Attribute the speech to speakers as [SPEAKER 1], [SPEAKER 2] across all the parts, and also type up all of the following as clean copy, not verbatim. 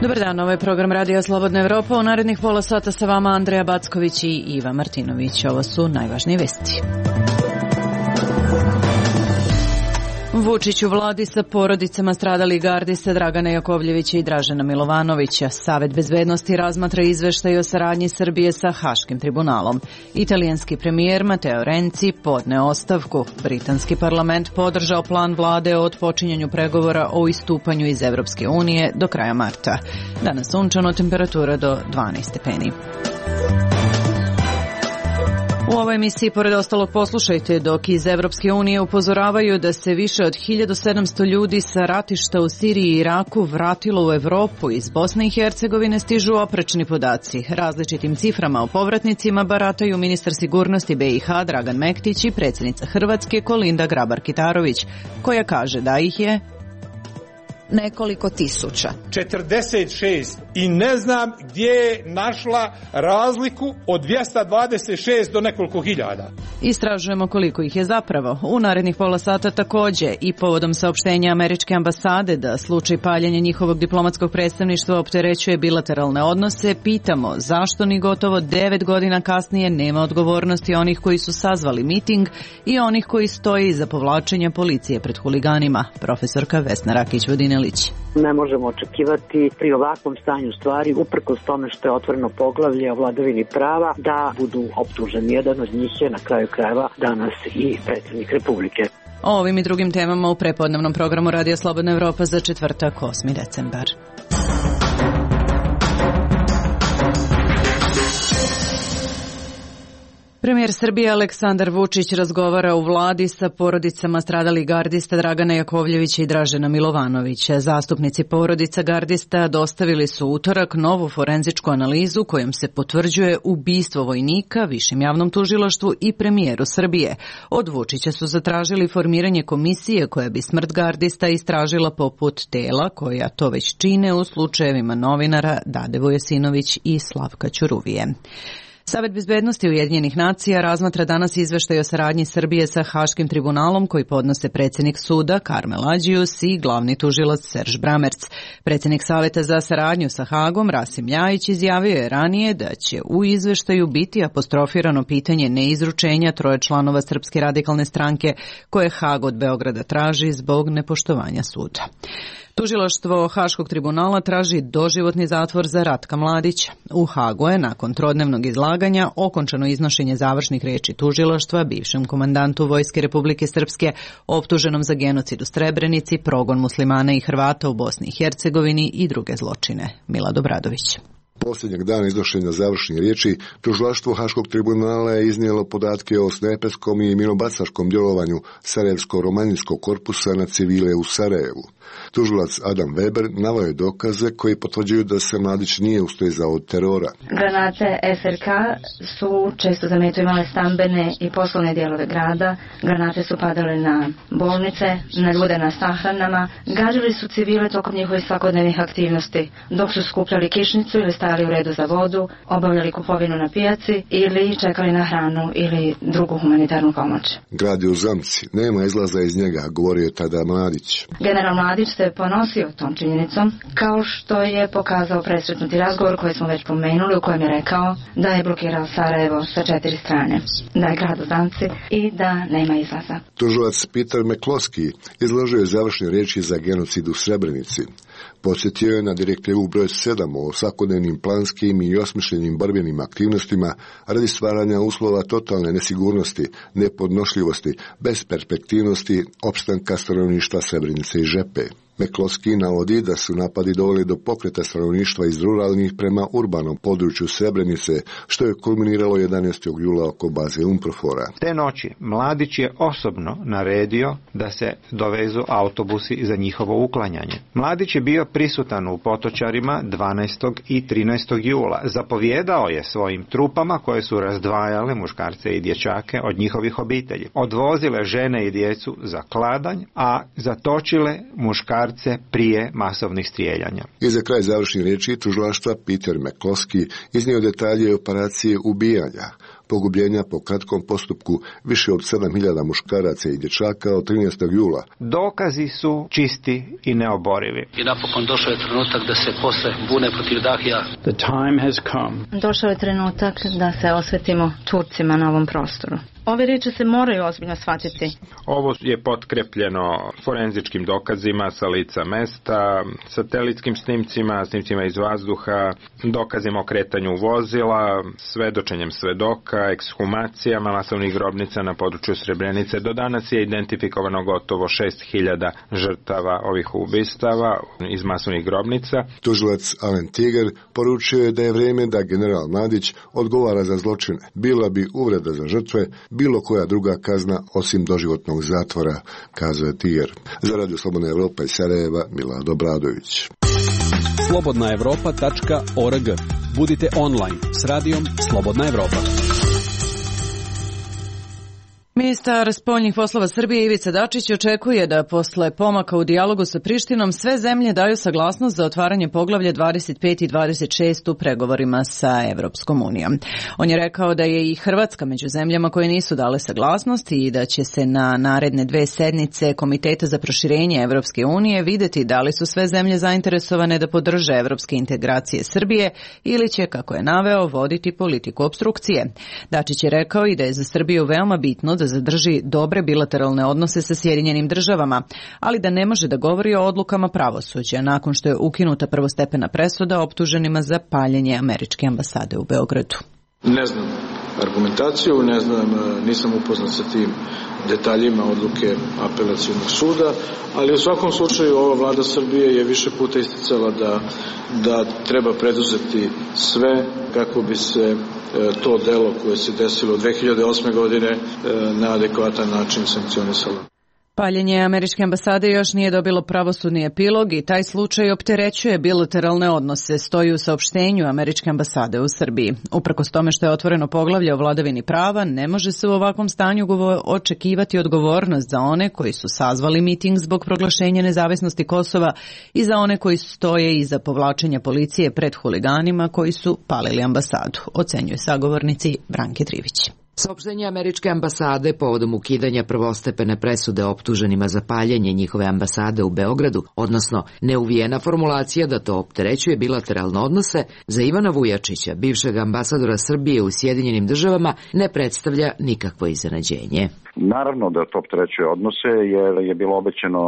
[SPEAKER 1] Dobar dan, ovo je program Radija Slobodna Evropa. U narednih pola sata sa vama Andreja Backović i Iva Martinović. Ovo su najvažnije vesti. Vučić u vladi sa porodicama stradalih gardista Dragana Jakovljevića i Dražena Milovanovića. Savet bezbednosti razmatra izveštaj o saradnji Srbije sa Haškim tribunalom. Italijanski premijer Matteo Renzi podneo ostavku. Britanski parlament podržao plan vlade o otpočinjanju pregovora o istupanju iz Evropske unije do kraja marta. Danas sunčano, temperatura do 12 stepeni. U ovoj emisiji, pored ostalog, poslušajte dok iz Evropske unije upozoravaju da se više od 1700 ljudi sa ratišta u Siriji i Iraku vratilo u Evropu. Iz Bosne i Hercegovine stižu oprečni podaci. Različitim ciframa o povratnicima barataju ministar sigurnosti BiH Dragan Mektić i predsjednica Hrvatske Kolinda Grabar-Kitarović, koja kaže da ih je nekoliko tisuća.
[SPEAKER 2] 46 i ne znam gdje je našla razliku od 226 do nekoliko hiljada.
[SPEAKER 1] Istražujemo koliko ih je zapravo. U narednih pola sata također i povodom saopštenja američke ambasade da slučaj paljenja njihovog diplomatskog predstavništva opterećuje bilateralne odnose, pitamo zašto ni gotovo 9 godina kasnije nema odgovornosti onih koji su sazvali miting i onih koji stoje iza povlačenja policije pred huliganima. Profesorka Vesna Rakić-Vodinelić.
[SPEAKER 3] Ne možemo očekivati pri ovakvom stanju stvari, uprkos tome što je otvoreno poglavlje o vladavini prava, da budu optuženi. Jedan od njih je na kraju krajeva danas i predsjednik Republike.
[SPEAKER 1] O ovim i drugim temama u prepodnevnom programu Radija Slobodna Evropa za četvrtak 8. decembar. Premijer Srbije Aleksandar Vučić razgovara u vladi sa porodicama stradalih gardista Dragana Jakovljevića i Dražena Milovanovića. Zastupnici porodica gardista dostavili su utorak novu forenzičku analizu kojom se potvrđuje ubistvo vojnika Višem javnom tužilaštvu i premijeru Srbije. Od Vučića su zatražili formiranje komisije koja bi smrt gardista istražila poput tela koja to već čine u slučajevima novinara Dade Vujasinović i Slavka Ćuruvije. Savet bezbednosti Ujedinjenih nacija razmatra danas izveštaj o saradnji Srbije sa Haškim tribunalom koji podnose predsjednik suda Karmel Ađius i glavni tužilac Serž Bramerc. Predsjednik Saveta za saradnju sa Hagom Rasim Ljajić izjavio je ranije da će u izveštaju biti apostrofirano pitanje neizručenja 3 članova Srpske radikalne stranke koje Hag od Beograda traži zbog nepoštovanja suda. Tužilaštvo Haškog tribunala traži doživotni zatvor za Ratka Mladića. U Hagu je nakon trodnevnog izlaganja okončano iznošenje završnih riječi tužilaštva bivšem komandantu Vojske Republike Srpske optuženom za genocid u Srebrenici, progon muslimana i Hrvata u Bosni i Hercegovini i druge zločine. Milad Obradović.
[SPEAKER 4] Posljednjeg dana iznošenja završnih riječi, tužilaštvo Haškog tribunala je iznijelo podatke o snajperskom i minobacačkom djelovanju Sarajevsko-romanijskog korpusa na civile u Sarajevu. Tužilac Adam Weber naveo je dokaze koji potvrđuju da se Mladić nije ustezao od terora.
[SPEAKER 5] Granate SRK su često za metu imale stambene i poslovne dijelove grada. Granate su padale na bolnice, na ljude na sahranama. Gađali su civile tokom njihovih svakodnevnih aktivnosti, dok su skupljali kišnicu ili stajali u redu za vodu, obavljali kupovinu na pijaci ili čekali na hranu ili drugu humanitarnu pomoć.
[SPEAKER 4] Grad je u zamci, nema izlaza iz njega, govorio je tada Mladić.
[SPEAKER 5] General Mladić se ponosio tom činjenicom, kao što je pokazao presretnuti razgovor koji smo već pomenuli, u kojem je rekao da je blokirao Sarajevo sa 4 strane, da je grad u zamci i da nema izlaza.
[SPEAKER 4] Tužilac Peter McCloskey izložio je završne riječi za genocid u Srebrenici. Podsjetio je na direktivu broj 7 o svakodnevnim planskim i osmišljenim borbenim aktivnostima radi stvaranja uslova totalne nesigurnosti, nepodnošljivosti, besperspektivnosti, opstanka stanovništva Srebrenice i Žepe. McCloskey navodi da su napadi doveli do pokreta stanovništva iz ruralnih prema urbanom području Srebrenice, što je kulminiralo 11. jula oko baze UNPROFOR-a.
[SPEAKER 6] Te noći Mladić je osobno naredio da se dovezu autobusi za njihovo uklanjanje. Mladić je bio prisutan u Potočarima 12. i 13. jula. Zapovjedao je svojim trupama koje su razdvajale muškarce i dječake od njihovih obitelji. Odvozile žene i djecu za kladanj, a zatočile muškarce muškarce prije masovnih strijeljanja.
[SPEAKER 4] I za kraj završnih riječi tužilaštva Peter McCloskey iznio detalje operacije ubijanja, pogubljenja po kratkom postupku više od 7.000 muškaraca i dječaka od 13. jula.
[SPEAKER 6] Dokazi su čisti i neoborivi.
[SPEAKER 7] I napokon došao je trenutak da se posle bune protiv Dahija.
[SPEAKER 8] The time has come.
[SPEAKER 5] Došao je trenutak da se osvetimo Turcima na ovom prostoru. Ove riječi se moraju ozbiljno shvatiti.
[SPEAKER 9] Ovo je potkrepljeno forenzičkim dokazima sa lica mesta, satelitskim snimcima, snimcima iz vazduha, dokazima o kretanju vozila, svedočenjem svedoka, ekshumacijama masovnih grobnica na području Srebrenice. Do danas je identifikovano gotovo 6.000 žrtava ovih ubistava iz masovnih grobnica.
[SPEAKER 4] Tužilac Alen Tiger poručio je da je vrijeme da general Mladić odgovara za zločine. Bila bi uvreda za žrtve, bilo koja druga kazna osim doživotnog zatvora, kazao je Tiger. Za Radio Slobodna Evropa iz Sarajeva, Milado Bradović.
[SPEAKER 10] slobodnaevropa.org. Budite online s radijom Slobodna Evropa.
[SPEAKER 1] Ministar spoljnih poslova Srbije Ivica Dačić očekuje da posle pomaka u dijalogu sa Prištinom sve zemlje daju saglasnost za otvaranje poglavlja 25 i 26 u pregovorima sa Evropskom unijom. On je rekao da je i Hrvatska među zemljama koje nisu dale saglasnost i da će se na naredne 2 sednice Komiteta za proširenje Evropske unije vidjeti da li su sve zemlje zainteresovane da podrže evropske integracije Srbije ili će, kako je naveo, voditi politiku opstrukcije. Dačić je rekao i da je za Srbiju veoma bitno da zadrži dobre bilateralne odnose sa Sjedinjenim državama, ali da ne može da govori o odlukama pravosuđa nakon što je ukinuta prvostepena presuda optuženima za paljenje američke ambasade u Beogradu.
[SPEAKER 11] Ne znam argumentaciju, ne znam, nisam upoznat sa tim detaljima odluke apelacionog suda, ali u svakom slučaju ova vlada Srbije je više puta isticala da treba preduzeti sve kako bi se to delo koje se desilo 2008. godine na adekvatan način sankcionisalo.
[SPEAKER 1] Paljenje američke ambasade još nije dobilo pravosudni epilog i taj slučaj opterećuje bilateralne odnose, stoji u saopštenju američke ambasade u Srbiji. Uprkos tome što je otvoreno poglavlje o vladavini prava, ne može se u ovakvom stanju očekivati odgovornost za one koji su sazvali miting zbog proglašenja nezavisnosti Kosova i za one koji stoje iza povlačenja policije pred huliganima koji su palili ambasadu, ocenjuje sagovornici Branke Trivić.
[SPEAKER 12] Saopštenje američke ambasade povodom ukidanja prvostepene presude optuženima za paljenje njihove ambasade u Beogradu, odnosno neuvijena formulacija da to opterećuje bilateralne odnose, za Ivana Vujačića, bivšeg ambasadora Srbije u Sjedinjenim državama, ne predstavlja nikakvo iznenađenje.
[SPEAKER 13] Naravno da to opterećuje odnose, jer je bilo obećano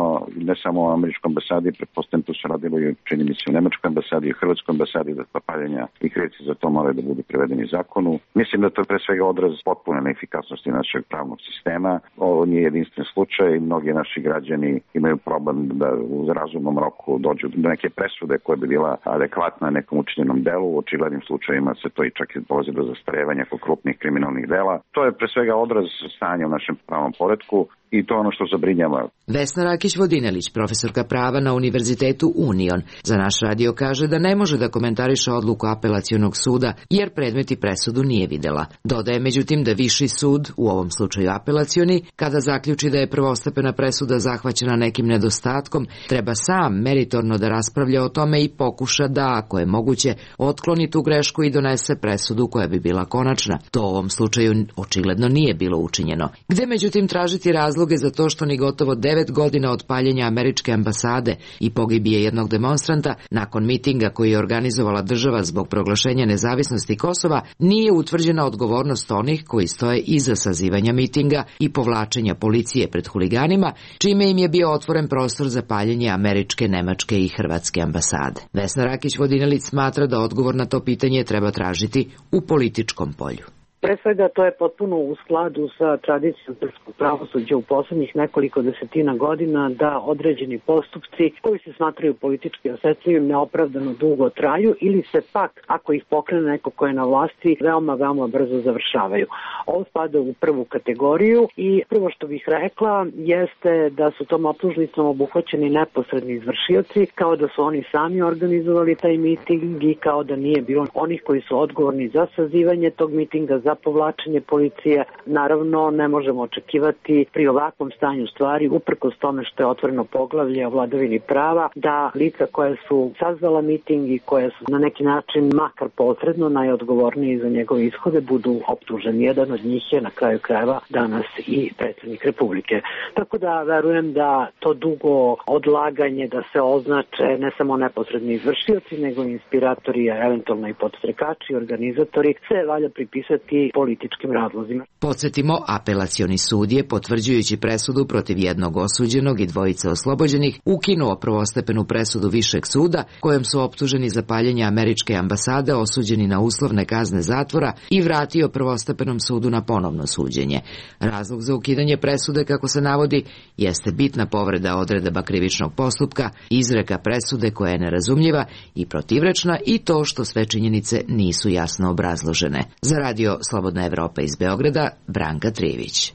[SPEAKER 13] ne samo u američkoj ambasadi, pretpostavljam to se radilo i čini mi se u nemačkoj ambasadi i u hrvatskoj ambasadi, da paljenja i krivci za to moraju da budu privedeni zakonu. Mislim da to je pre svega odraz potpune neefikasnosti našeg pravnog sistema. Ovo nije jedinstven slučaj i mnogi naši građani imaju problem da u razumnom roku dođu do neke presude koja bi bila adekvatna nekom učinjenom delu. U očiglednim slučajima se to i čak i dolazi do zastarevanja kod krupnih kriminalnih dela. To je pre svega odraz stanja u našem pravnom poretku i to je ono što zabrinjava.
[SPEAKER 12] Vesna Rakić-Vodinelić, profesorka prava na Univerzitetu Union, za naš radio kaže da ne može da komentariše odluku apelacionog suda jer predmet i presudu nije videla. Dodaje međutim da viši sud, u ovom slučaju apelacioni, kada zaključi da je prvostepena presuda zahvaćena nekim nedostatkom, treba sam meritorno da raspravlja o tome i pokuša da, ako je moguće, otkloni tu grešku i donese presudu koja bi bila konačna. To u ovom slučaju očigledno nije bilo učinjeno. Gde međutim tražiti razloge za to što ni gotovo 9 godina od paljenja američke ambasade i pogibije jednog demonstranta nakon mitinga koji je organizovala država zbog proglašenja nezavisnosti Kosova nije utvrđena odgovornost onih koji stoje iza sazivanja mitinga i povlačenja policije pred huliganima, čime im je bio otvoren prostor za paljenje američke, nemačke i hrvatske ambasade. Vesna Rakić-Vodinelić smatra da odgovor na to pitanje treba tražiti u političkom polju.
[SPEAKER 3] Pre svega to je potpuno u skladu sa tradicijom srpskog pravosuđa u poslednjih nekoliko desetina godina da određeni postupci koji se smatraju politički osetljivim neopravdano dugo traju ili se pak, ako ih pokrene neko ko je na vlasti, veoma brzo završavaju. Ovo spada u prvu kategoriju i prvo što bih rekla jeste da su tom optužnicom obuhvaćeni neposredni izvršioci, kao da su oni sami organizovali taj miting i kao da nije bilo onih koji su odgovorni za sazivanje tog mitinga, za za povlačenje policije. Naravno, ne možemo očekivati pri ovakvom stanju stvari, uprkos tome što je otvoreno poglavlje o vladavini prava, da lica koje su sazvala miting i koje su na neki način makar posredno najodgovorniji za njegove ishode budu optuženi. Jedan od njih je na kraju krajeva danas i predsjednik Republike. Tako da verujem da to dugo odlaganje da se označe ne samo neposredni izvršioci, nego i inspiratori, eventualno i podstrekači, organizatori, se valja pripisati političkim razlozima.
[SPEAKER 12] Podsjetimo, apelacioni sud je, potvrđujući presudu protiv jednog osuđenog i dvojice oslobođenih, ukinuo prvostepenu presudu Višeg suda, kojom su optuženi za paljenje američke ambasade osuđeni na uslovne kazne zatvora i vratio prvostepenom sudu na ponovno suđenje. Razlog za ukidanje presude, kako se navodi, jeste bitna povreda odredaba krivičnog postupka, izreka presude koja je nerazumljiva i protivrečna i to što sve činjenice nisu jasno obrazložene. Za radio Slobodna Evropa iz Beograda, Branka Trivić.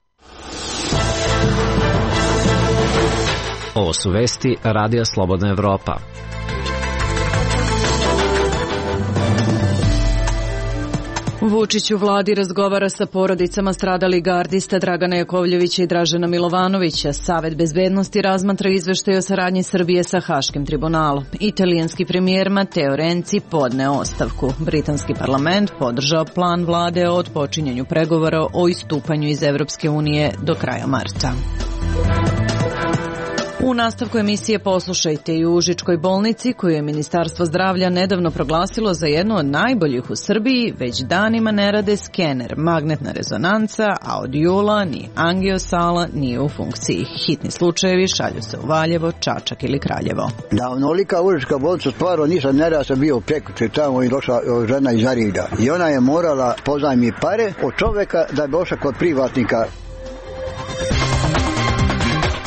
[SPEAKER 14] Ovo su vesti Radija Slobodna Evropa.
[SPEAKER 1] Vučić u vladi razgovara sa porodicama stradalih gardista Dragana Jakovljevića i Dražena Milovanovića. Savet bezbednosti razmatra izveštaj o saradnji Srbije sa Haškim tribunalom. Italijanski premijer Matteo Renzi podneo ostavku. Britanski parlament podržao plan vlade o otpočinjanju pregovora o istupanju iz Evropske unije do kraja marta. U nastavku emisije poslušajte i u Užičkoj bolnici, koju je Ministarstvo zdravlja nedavno proglasilo za jednu od najboljih u Srbiji, već danima ne rade skener, magnetna rezonanca, a od jula ni angiosala nije u funkciji. Hitni slučajevi šalju se u Valjevo, Čačak ili Kraljevo.
[SPEAKER 15] Da, onolika Užička bolnica stvarno nisam nerad sam bio prekuće tamo i došla žena iz Arida. I ona je morala pozajmi pare od čoveka da bi došla kod privatnika.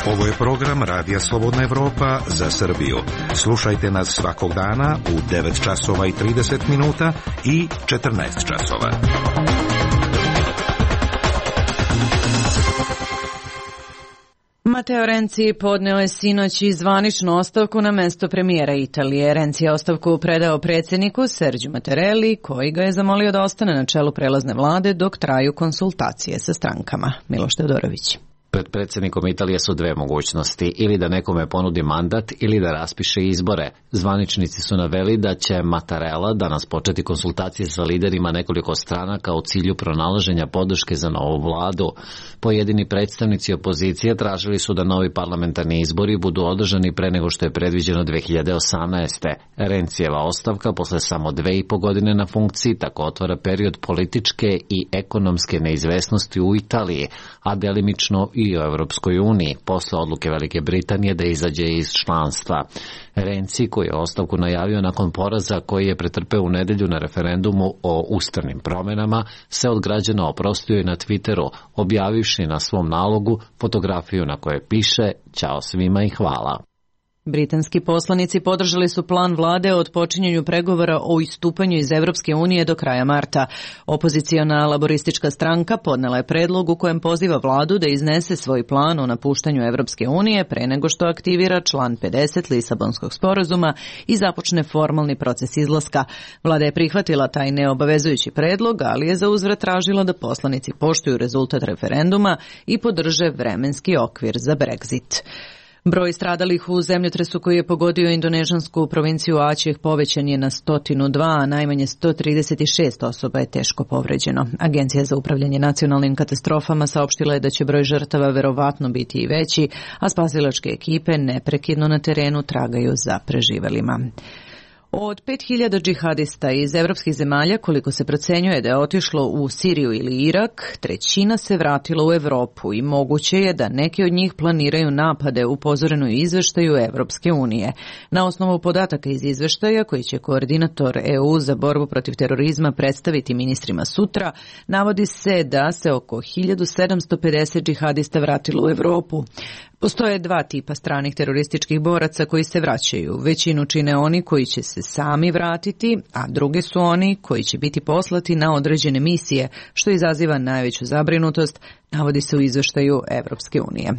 [SPEAKER 16] Ovo je program Radija Slobodna Evropa za Srbiju. Slušajte nas svakog dana u 9 časova i 30 minuta i 14 časova.
[SPEAKER 1] Matteo Renzi podneo je sinoć i zvaničnu ostavku na mesto premijera Italije. Renzi je ostavku predao predsjedniku Sergiju Mattarelli, koji ga je zamolio da ostane na čelu prelazne vlade dok traju konsultacije sa strankama. Miloš Teodorović.
[SPEAKER 14] Pred predsjednikom Italije su dve mogućnosti, ili da nekome ponudi mandat ili da raspiše izbore. Zvaničnici su naveli da će Mattarella danas početi konsultacije sa liderima nekoliko stranaka u cilju pronalaženja podrške za novu vladu. Pojedini predstavnici opozicije tražili su da novi parlamentarni izbori budu održani pre nego što je predviđeno 2018. Rencijeva ostavka posle samo 2,5 godine na funkciji tako otvara period političke i ekonomske neizvesnosti u Italiji, a delimično i u Evropskoj uniji, posle odluke Velike Britanije da izađe iz članstva. Renzi, koji je ostavku najavio nakon poraza koji je pretrpeo u nedelju na referendumu o ustavnim promjenama, se od građana oprostio i na Twitteru, objavivši na svom nalogu fotografiju na kojoj piše "Ćao svima i hvala".
[SPEAKER 1] Britanski poslanici podržali su plan vlade o otpočinjanju pregovora o istupanju iz Evropske unije do kraja marta. Opoziciona laboristička stranka podnela je predlog u kojem poziva vladu da iznese svoj plan o napuštanju Evropske unije pre nego što aktivira član 50 Lisabonskog sporazuma i započne formalni proces izlaska. Vlada je prihvatila taj neobavezujući predlog, ali je za uzvrat tražila da poslanici poštuju rezultat referenduma i podrže vremenski okvir za Brexit. Broj stradalih u zemljotresu koji je pogodio indonežansku provinciju Aceh povećan je na 102, a najmanje 136 osoba je teško povređeno. Agencija za upravljanje nacionalnim katastrofama saopštila je da će broj žrtava verovatno biti i veći, a spasilačke ekipe neprekidno na terenu tragaju za preživelima. Od 5000 džihadista iz evropskih zemalja, koliko se procenjuje da je otišlo u Siriju ili Irak, 1/3 se vratilo u Evropu i moguće je da neki od njih planiraju napade, upozoreno u izveštaju Evropske unije. Na osnovu podataka iz izveštaja, koji će koordinator EU za borbu protiv terorizma predstaviti ministrima sutra, navodi se da se oko 1750 džihadista vratilo u Evropu. Postoje dva tipa stranih terorističkih boraca koji se vraćaju. Većinu čine oni koji će se sami vratiti, a drugi su oni koji će biti poslati na određene misije, što izaziva najveću zabrinutost, navodi se u izveštaju Evropske unije.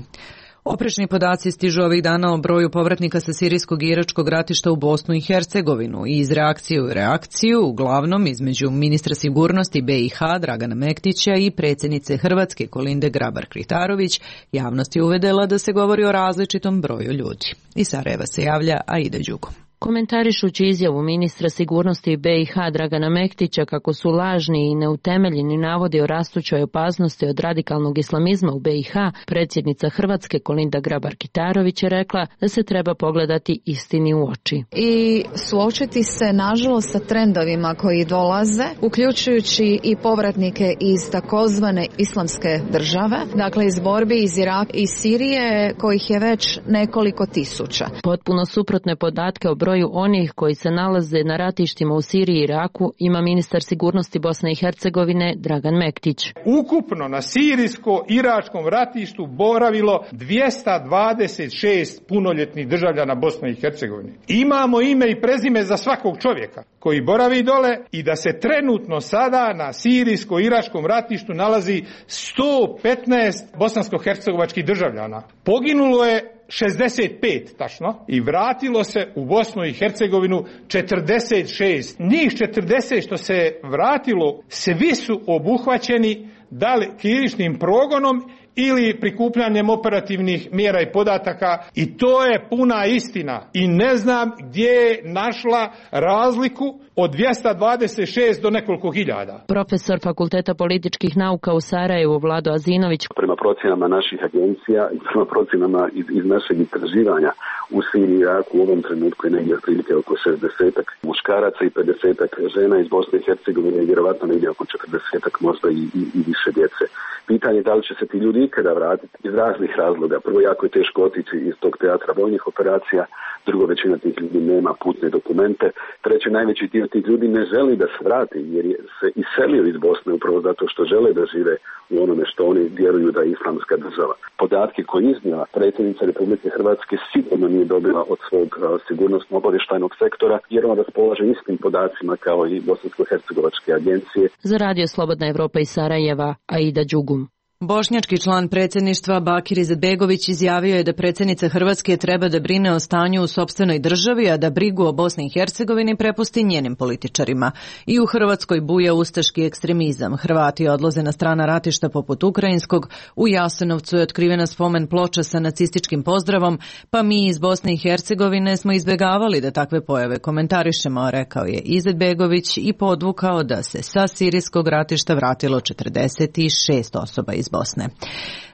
[SPEAKER 1] Oprečni podaci stižu ovih dana o broju povratnika sa sirijskog i iračkog ratišta u Bosnu i Hercegovinu i iz reakcije u reakciju, uglavnom između ministra sigurnosti BiH Dragana Mektića i predsjednice Hrvatske Kolinde Grabar-Kitarović, javnost je uvedela da se govori o različitom broju ljudi. Iz Sarajeva se javlja Aida Đugo.
[SPEAKER 17] Komentarišući izjavu ministra sigurnosti BiH Dragana Mektića kako su lažni i neutemeljeni navodi o rastućoj opasnosti od radikalnog islamizma u BiH, predsjednica Hrvatske Kolinda Grabar-Kitarović je rekla da se treba pogledati istini u oči.
[SPEAKER 18] I suočiti se nažalost sa trendovima koji dolaze, uključujući i povratnike iz takozvane islamske države, dakle iz borbi iz Iraka i Sirije, kojih je već nekoliko tisuća.
[SPEAKER 17] Potpuno suprotne podatke o broju onih koji se nalaze na ratištima u Siriji i Iraku ima ministar sigurnosti Bosne i Hercegovine Dragan Mektić.
[SPEAKER 2] Ukupno na sirijsko-iračkom ratištu boravilo 226 punoljetnih državljana Bosne i Hercegovine. Imamo ime i prezime za svakog čovjeka koji boravi dole i da se trenutno sada na sirijsko-iračkom ratištu nalazi 115 bosansko-hercegovačkih državljana. Poginulo je 65 tačno i vratilo se u Bosnu i Hercegovinu 46. Njih 40 što se vratilo, svi su obuhvaćeni da li krivičnim progonom ili prikupljanjem operativnih mjera i podataka i to je puna istina. I ne znam gdje je našla razliku od 226 do nekoliko hiljada.
[SPEAKER 17] Profesor Fakulteta političkih nauka u Sarajevu Vlado Azinović.
[SPEAKER 19] Prema procjenama naših agencija i prema procjenama iz našeg istraživanja u Siriji i Iraku u ovom trenutku je negdje otprilike oko 60 muškaraca i 50 žena iz Bosne i Hercegovine i vjerovatno negdje oko 40 možda i više djece. Pitanje je da li će se ti ljudi ikada vratiti iz raznih razloga. Prvo, jako je teško otići iz tog teatra vojnih operacija, drugo, većina tih ljudi nema putne dokumente, treće, najveći dio tih ljudi ne želi da se vrati jer se iselio iz Bosne upravo zato što žele da žive u onome što oni vjeruju da je islamska država. Podatke koje iznijela predsjednica Republike Hrvatske sigurno nije dobila od svog sigurnosno-obavještajnog sektora jer on raspolaže istim podacima kao i bosansko-hercegovačke agencije.
[SPEAKER 17] Za Radio Slobodna Evropa iz Sarajeva, Aida Đugum.
[SPEAKER 1] Bošnjački član predsjedništva Bakir Izetbegović izjavio je da predsjednica Hrvatske treba da brine o stanju u sopstvenoj državi, a da brigu o Bosni i Hercegovini prepusti njenim političarima. I u Hrvatskoj buja ustaški ekstremizam. Hrvati odlaze na strana ratišta poput ukrajinskog, u Jasenovcu je otkrivena spomen ploča sa nacističkim pozdravom, pa mi iz Bosne i Hercegovine smo izbjegavali da takve pojave komentarišemo, rekao je Izetbegović i podvukao da se sa sirijskog ratišta vratilo 46 osoba iz Bosne.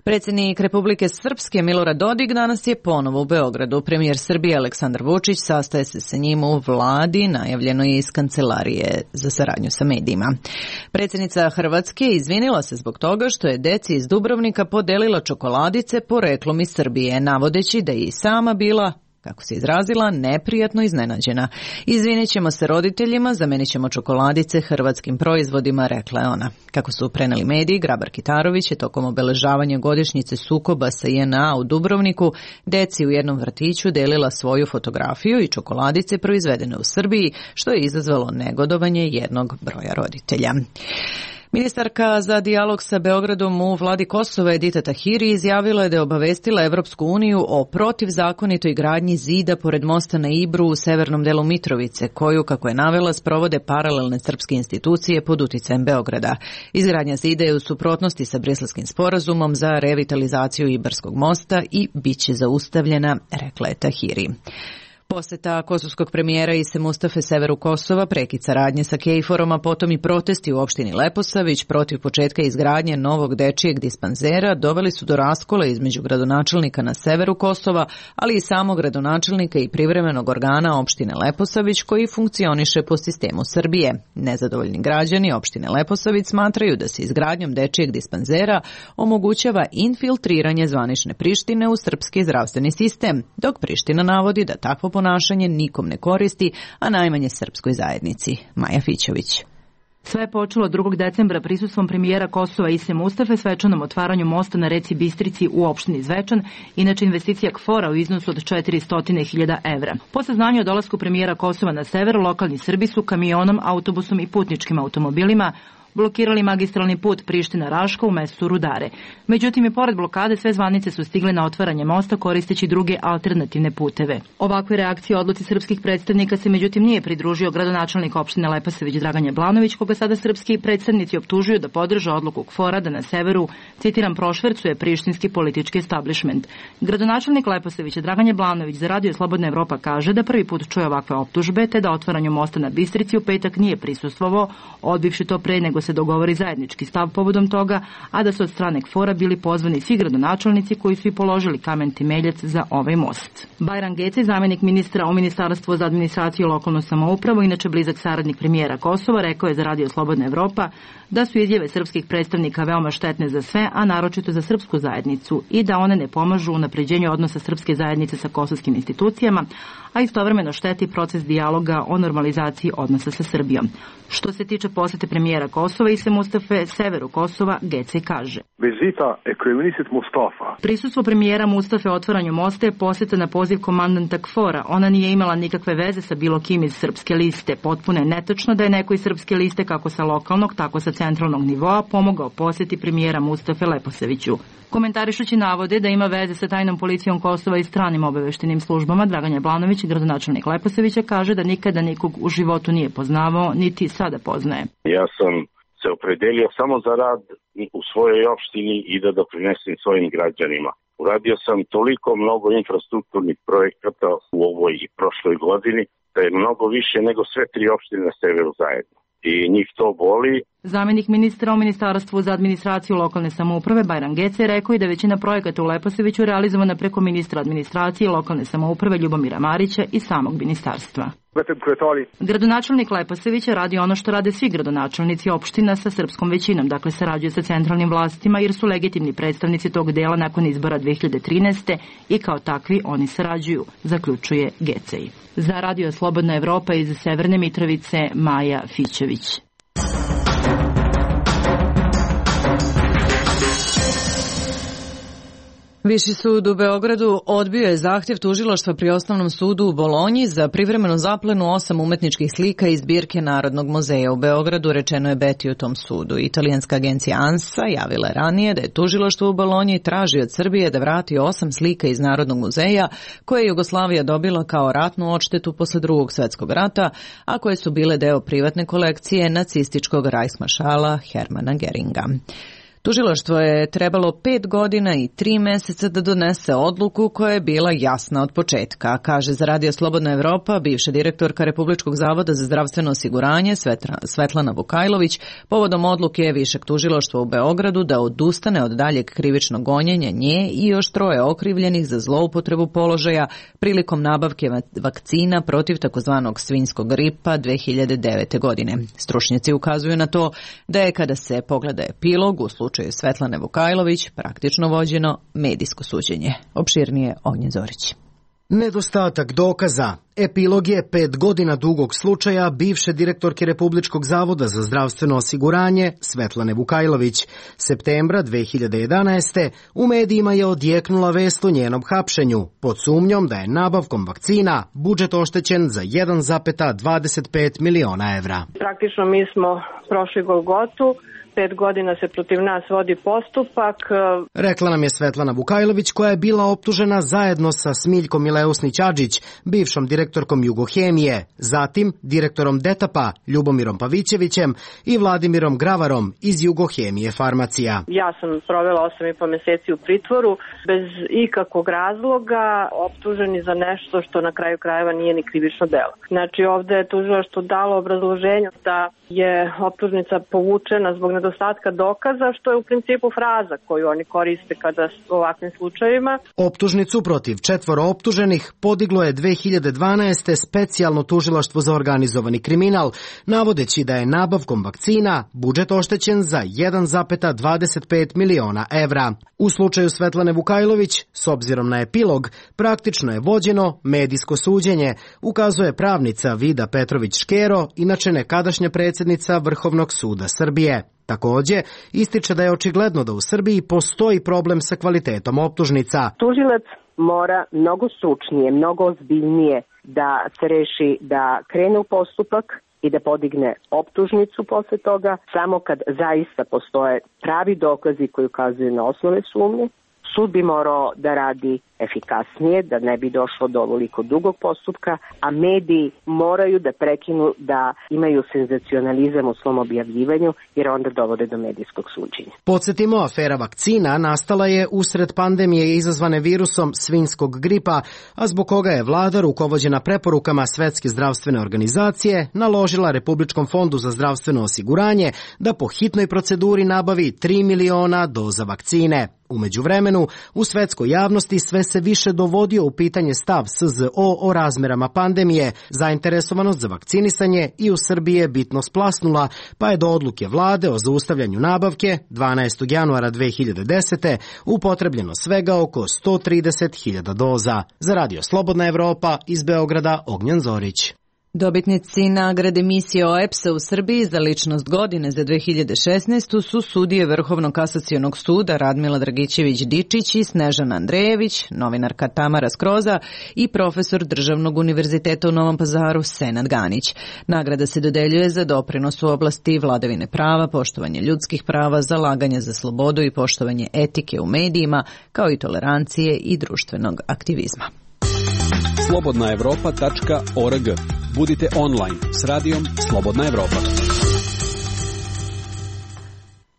[SPEAKER 1] Predsjednik Republike Srpske Milorad Dodik danas je ponovo u Beogradu. Premijer Srbije Aleksandar Vučić sastaje se sa njim u vladi, najavljeno je iz kancelarije za saradnju sa medijima. Predsjednica Hrvatske izvinila se zbog toga što je deci iz Dubrovnika podelila čokoladice poreklom iz Srbije, navodeći da je i sama bila, kako se izrazila, neprijatno iznenađena. Izvinit ćemo se roditeljima, zamenit ćemo čokoladice hrvatskim proizvodima, rekla je ona. Kako su preneli mediji, Grabar-Kitarović je tokom obeležavanja godišnjice sukoba sa JNA u Dubrovniku deci u jednom vrtiću delila svoju fotografiju i čokoladice proizvedene u Srbiji, što je izazvalo negodovanje jednog broja roditelja. Ministarka za dijalog sa Beogradom u vladi Kosova Edita Tahiri izjavila je da je obavestila Evropsku uniju o protivzakonitoj gradnji zida pored mosta na Ibru u severnom delu Mitrovice, koju, kako je navela, sprovode paralelne srpske institucije pod uticajem Beograda. Izgradnja zida je u suprotnosti sa Briselskim sporazumom za revitalizaciju Ibarskog mosta i bit će zaustavljena, rekla je Tahiri. Poseta kosovskog premijera Ise Mustafe severu Kosova, prekid saradnje sa KFOR-om, a potom i protesti u opštini Leposavić protiv početka izgradnje novog dečijeg dispanzera doveli su do raskola između gradonačelnika na severu Kosova, ali i samog gradonačelnika i privremenog organa opštine Leposavić koji funkcioniše po sistemu Srbije. Nezadovoljni građani opštine Leposavić smatraju da se izgradnjom dečijeg dispanzera omogućava infiltriranje zvanične Prištine u srpski zdravstveni sistem, dok Priština navodi da takvo ponašanje nikom ne koristi, a najmanje srpskoj zajednici. Maja Fićović.
[SPEAKER 20] Sve je počelo 2. decembra prisustvom premijera Kosova Ise Mustafe svečanom otvaranju mosta na reci Bistrici u opštini Zvečan, inače investicija KFOR-a u iznosu od 400.000 evra. Po saznanju o dolasku premijera Kosova na sever, lokalni Srbi su kamionom, autobusom i putničkim automobilima blokirali magistralni put Priština-Raška u mestu Rudare. Međutim, i pored blokade sve zvanice su stigle na otvaranje mosta koristeći druge alternativne puteve. Ovakve reakcije odluci srpskih predstavnika se međutim nije pridružio gradonačelnik opštine Leposavić Dragan Jablanović, koga sada srpski predstavnici optužuju da podrža odluku KFOR-a da na severu, citiram, prošvercuje prištinski politički establishment. Gradonačelnik Leposavića Dragan Jablanović za Radio Slobodna Evropa kaže da prvi put čuje ovakve optužbe, te da otvaranju mosta na Bistrici u petak nije prisustvovao, odbivši to pre nego se dogovori zajednički stav povodom toga, a da su od strane KFOR-a bili pozvani svi gradonačelnici koji su i položili kamen temeljac za ovaj most. Bajram Gece, zamenik ministra u Ministarstvu za administraciju i lokalnu samoupravu, inače blizak saradnik premijera Kosova, rekao je za Radio Slobodna Evropa da su izjave srpskih predstavnika veoma štetne za sve, a naročito za srpsku zajednicu, i da one ne pomažu u napređenju odnosa srpske zajednice sa kosovskim institucijama, a istovremeno šteti proces dijaloga o normalizaciji odnosa sa Srbijom. Što se tiče posete premijera Kosova Ise Mustafe severu Kosova, Gece kaže: Prisustvo premijera Mustafe otvaranju mosta je poseta na poziv komandanta KFOR-a. Ona nije imala nikakve veze sa bilo kim iz srpske liste. Potpuno je netačno da je neko iz srpske liste, kako sa lokalnog, tako sa centralnog nivoa, pomogao poseti premijera Mustafe Leposaviću. Komentarišući navode da ima veze sa tajnom policijom Kosova i stranim obaveštenim službama, Dragan Jablanović, gradonačelnik Leposavića, kaže da nikada nikog u životu nije poznavao, niti sada poznaje.
[SPEAKER 21] Ja sam se opredelio samo za rad u svojoj opštini i da doprinesem svojim građanima. Uradio sam toliko mnogo infrastrukturnih projekata u ovoj i prošloj godini, da je mnogo više nego sve tri opštine na severu zajedno. I njih to boli.
[SPEAKER 20] Zamenik ministra u Ministarstvu za administraciju i lokalne samouprave Bajram Gece je rekao i da većina projekata u Leposaviću realizovana preko ministra administracije i lokalne samouprave Ljubomira Marića i samog ministarstva. Gradonačelnik Leposavića radi ono što rade svi gradonačelnici opština sa srpskom većinom, dakle sarađuje sa centralnim vlastima jer su legitimni predstavnici tog dela nakon izbora 2013. i kao takvi oni sarađuju, zaključuje Gecej. Za Radio Slobodna Evropa iz Severne Mitrovice, Maja Fićević.
[SPEAKER 1] Viši sud u Beogradu odbio je zahtjev tužilaštva pri Osnovnom sudu u Bolonji za privremenu zaplenu 8 umetničkih slika iz zbirke Narodnog muzeja u Beogradu, rečeno je Beti u tom sudu. Italijanska agencija ANSA javila je ranije da je tužilaštvo u Bolonji traži od Srbije da vrati 8 slika iz Narodnog muzeja koje je Jugoslavija dobila kao ratnu odštetu posle Drugog svjetskog rata, a koje su bile deo privatne kolekcije nacističkog rajsmaršala Hermana Geringa. Tužilaštvo je trebalo 5 godina i 3 meseca da donese odluku koja je bila jasna od početka, kaže za Radio Slobodna Evropa bivša direktorka Republičkog zavoda za zdravstveno osiguranje Svetlana Vukajlović povodom odluke Višeg tužilaštva u Beogradu da odustane od daljeg krivičnog gonjenja nje i još 3 okrivljenih za zloupotrebu položaja prilikom nabavke vakcina protiv takozvanog svinjskog gripa 2009. godine. Stručnjaci ukazuju na to da je kada se pogleda epilog u slučaju Svetlane Vukajlović praktično vođeno medijsko suđenje. Opširnije Ognjen Zorić.
[SPEAKER 22] Nedostatak dokaza. Epilog je 5 godina dugog slučaja bivše direktorke Republičkog zavoda za zdravstveno osiguranje Svetlane Vukajlović. Septembra 2011. u medijima je odjeknula vest o njenom hapšenju pod sumnjom da je nabavkom vakcina budžet oštećen za 1,25 miliona evra.
[SPEAKER 23] Praktično mi smo prošli Golgotu. 5 godina se protiv nas vodi postupak.
[SPEAKER 22] Rekla nam je Svetlana Vukajlović, koja je bila optužena zajedno sa Smiljkom Mileusnić-Adžić, bivšom direktorkom Jugohemije, zatim direktorom Detapa Ljubomirom Pavićevićem i Vladimirom Gravarom iz Jugohemije Farmacija.
[SPEAKER 23] Ja sam provela 8,5 meseci u pritvoru bez ikakvog razloga, optuženi za nešto što na kraju krajeva nije ni krivično delo. Znači ovde je tužilaštvo dalo obrazloženje da je optužnica povučena zbog nedostatka dokaza, što je u principu fraza koju oni koriste kada u ovakvim slučajevima.
[SPEAKER 22] Optužnicu protiv 4 optuženih podiglo je 2012. specijalno tužilaštvo za organizovani kriminal, navodeći da je nabavkom vakcina budžet oštećen za 1,25 miliona evra. U slučaju Svetlane Vukajlović, s obzirom na epilog, praktično je vođeno medijsko suđenje, ukazuje pravnica Vida Petrović-Škero, inače nekadašnja predsjednica Vrhovnog suda Srbije. Također, ističe da je očigledno da u Srbiji postoji problem sa kvalitetom optužnica.
[SPEAKER 24] Tužilac mora mnogo stručnije, mnogo ozbiljnije da se reši da krene u postupak
[SPEAKER 6] i da podigne optužnicu posle toga, samo kad zaista postoje pravi dokazi koji ukazuju na osnove sumnje. Sud bi morao da radi efikasnije, da ne bi došlo do ovoliko dugog postupka, a mediji moraju da prekinu da imaju senzacionalizam u svom objavljivanju, jer onda dovode do medijskog suđenja.
[SPEAKER 22] Podsjetimo, afera vakcina nastala je usred pandemije izazvane virusom svinjskog gripa, a zbog koga je vlada, rukovođena preporukama Svetske zdravstvene organizacije, naložila Republičkom fondu za zdravstveno osiguranje da po hitnoj proceduri nabavi 3 miliona doza vakcine. U međuvremenu, u svetskoj javnosti sve se više dovodio u pitanje stav SZO o razmerama pandemije. Zainteresovanost za vakcinisanje i u Srbiji je bitno splasnula, pa je do odluke vlade o zaustavljanju nabavke 12. januara 2010. upotrebljeno svega oko 130.000 doza. Za Radio Slobodna Evropa iz Beograda, Ognjan Zorić.
[SPEAKER 1] Dobitnici nagrade misije OEPS-a u Srbiji za ličnost godine za 2016. su sudije Vrhovnog kasacionog suda Radmila Dragićević-Dičić i Snežana Andrejević, novinarka Tamara Skroza i profesor Državnog univerziteta u Novom Pazaru Senad Ganić. Nagrada se dodeljuje za doprinos u oblasti vladavine prava, poštovanje ljudskih prava, zalaganje za slobodu i poštovanje etike u medijima, kao i tolerancije i društvenog aktivizma.
[SPEAKER 10] slobodnaevropa.org. Budite online s radijom Slobodna Evropa.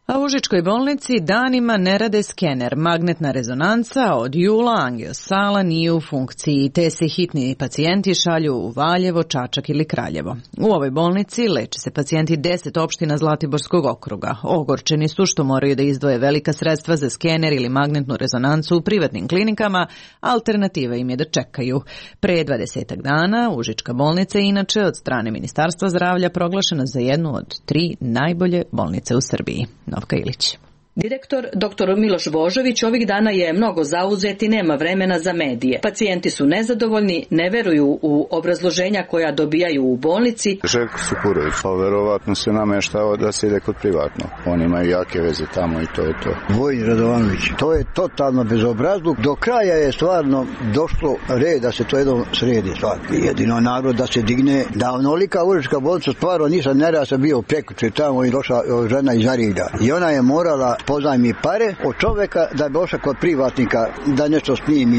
[SPEAKER 1] A u Užičkoj bolnici danima ne rade skener. Magnetna rezonanca od jula angiosala nije u funkciji, te se hitni pacijenti šalju u Valjevo, Čačak ili Kraljevo. U ovoj bolnici leče se pacijenti 10 opština Zlatiborskog okruga. Ogorčeni su što moraju da izdvoje velika sredstva za skener ili magnetnu rezonancu u privatnim klinikama, alternativa im je da čekaju. Pre 20 dana Užička bolnica je inače od strane Ministarstva zdravlja proglašena za jednu od 3 najbolje bolnice u Srbiji. Novka Ilić.
[SPEAKER 7] Direktor dr. Miloš Božović ovih dana je mnogo zauzet i nema vremena za medije. Pacijenti su nezadovoljni, ne veruju u obrazloženja koja dobijaju u bolnici.
[SPEAKER 8] Željko Supurović, pa verovatno se nameštao da se ide kod privatno. Oni imaju jake veze tamo i to je to.
[SPEAKER 15] Vojin Radovanović, to je totalno bezobrazluk. Do kraja je stvarno došlo red da se to jedno sredi. Jedino narod da se digne, da onolika Užička bolnica stvarno nisam nerasa bio prekuče tamo i došla žena iz Arida. I ona je morala pozajmi pare od čoveka da bi došla kod privatnika da nešto snimi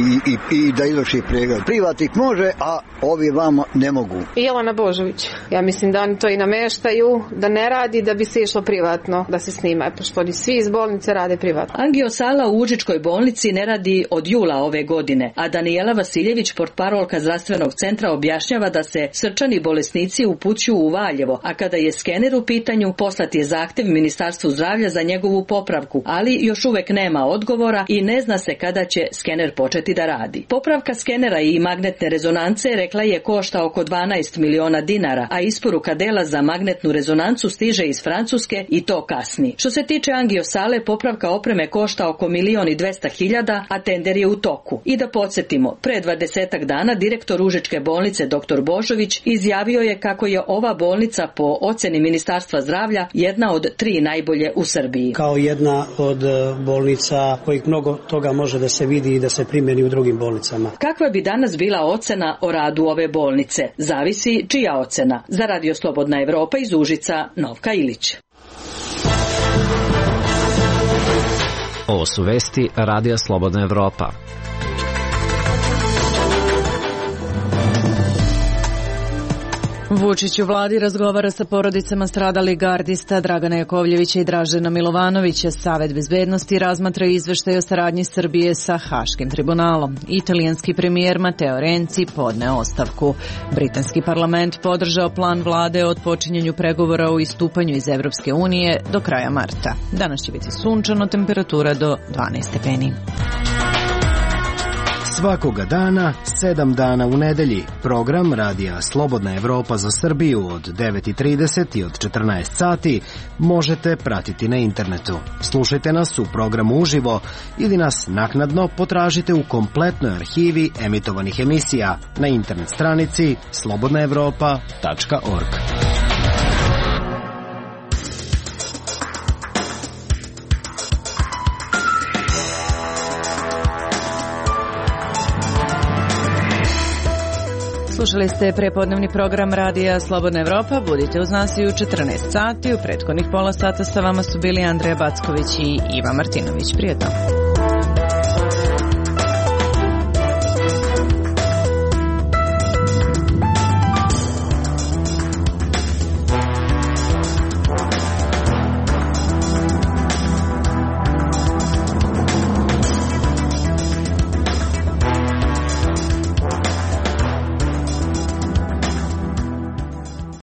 [SPEAKER 15] i da izvrši pregled. Privatnik može, a ovi vamo ne mogu.
[SPEAKER 24] Jelena Božović. Ja mislim da oni to i nameštaju, da ne radi da bi se išlo privatno da se snima, pošto oni svi iz bolnice rade privatno.
[SPEAKER 7] Angiosala u Užičkoj bolnici ne radi od jula ove godine, a Danijela Vasiljević, portparolka zdravstvenog centra, objašnjava da se srčani bolesnici upućuju u Valjevo, a kada je skener u pitanju, poslat je zahtev Ministarstvu zdravlja za njegovu popravku, ali još uvek nema odgovora i ne zna se kada će skener početi da radi. Popravka skenera i magnetne rezonance, rekla je, košta oko 12 miliona dinara, a isporuka dela za magnetnu rezonancu stiže iz Francuske i to kasni. Što se tiče angiosale, popravka opreme košta oko 1.200.000, a tender je u toku. I da podsjetimo, pre 20 dana direktor Užičke bolnice dr. Božović izjavio je kako je ova bolnica po oceni Ministarstva zdravlja jedna od 3 najbolje u Srbiji.
[SPEAKER 25] Kao jedna od bolnica kojih mnogo toga može da se vidi i da se primjeni u drugim bolnicama.
[SPEAKER 7] Kakva bi danas bila ocena o radu ove bolnice? Zavisi čija ocena. Za Radio Slobodna Evropa iz Užica, Novka Ilić.
[SPEAKER 14] Ovo su vesti Radija Slobodna Evropa.
[SPEAKER 1] Vučić u vladi razgovara sa porodicama stradalih gardista Dragana Jakovljevića i Dražena Milovanovića. Savet bezbednosti razmatra izveštaj o saradnji Srbije sa Haškim tribunalom. Italijanski premijer Matteo Renzi podneo ostavku. Britanski parlament podržao plan vlade o odpočinjanju pregovora o istupanju iz Evropske unije do kraja marta. Danas će biti sunčano, temperatura do 12 stepeni.
[SPEAKER 22] Svakoga dana, 7 dana u nedelji. Program Radija Slobodna Evropa za Srbiju od 9:30 i od 14 sati možete pratiti na internetu. Slušajte nas u programu uživo ili nas naknadno potražite u kompletnoj arhivi emitovanih emisija na internet stranici slobodnaevropa.org.
[SPEAKER 1] Slušali ste prepodnevni program Radija Slobodna Evropa. Budite uz nas i u 14 sati. U prethodnih pola sata sa vama su bili Andreja Backović i Iva Martinović. Prijetno.